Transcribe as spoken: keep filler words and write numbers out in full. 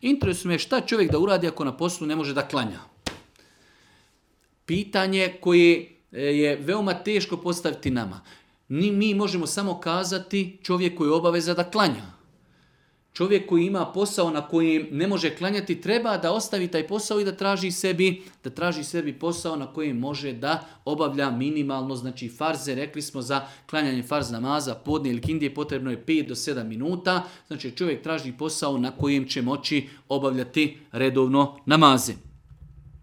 Interesuje me šta čovjek da uradi ako na poslu ne može da klanja. Pitanje koje je veoma teško postaviti nama. Ni mi možemo samo kazati čovjeku je obaveza da klanja. Čovjek koji ima posao na kojem ne može klanjati treba da ostavi taj posao i da traži sebi, da traži sebi posao na kojem može da obavlja minimalno, znači farze, rekli smo za klanjanje farz namaza, podne ili kindije potrebno je pet do sedam minuta, znači čovjek traži posao na kojem će moći obavljati redovno namaze.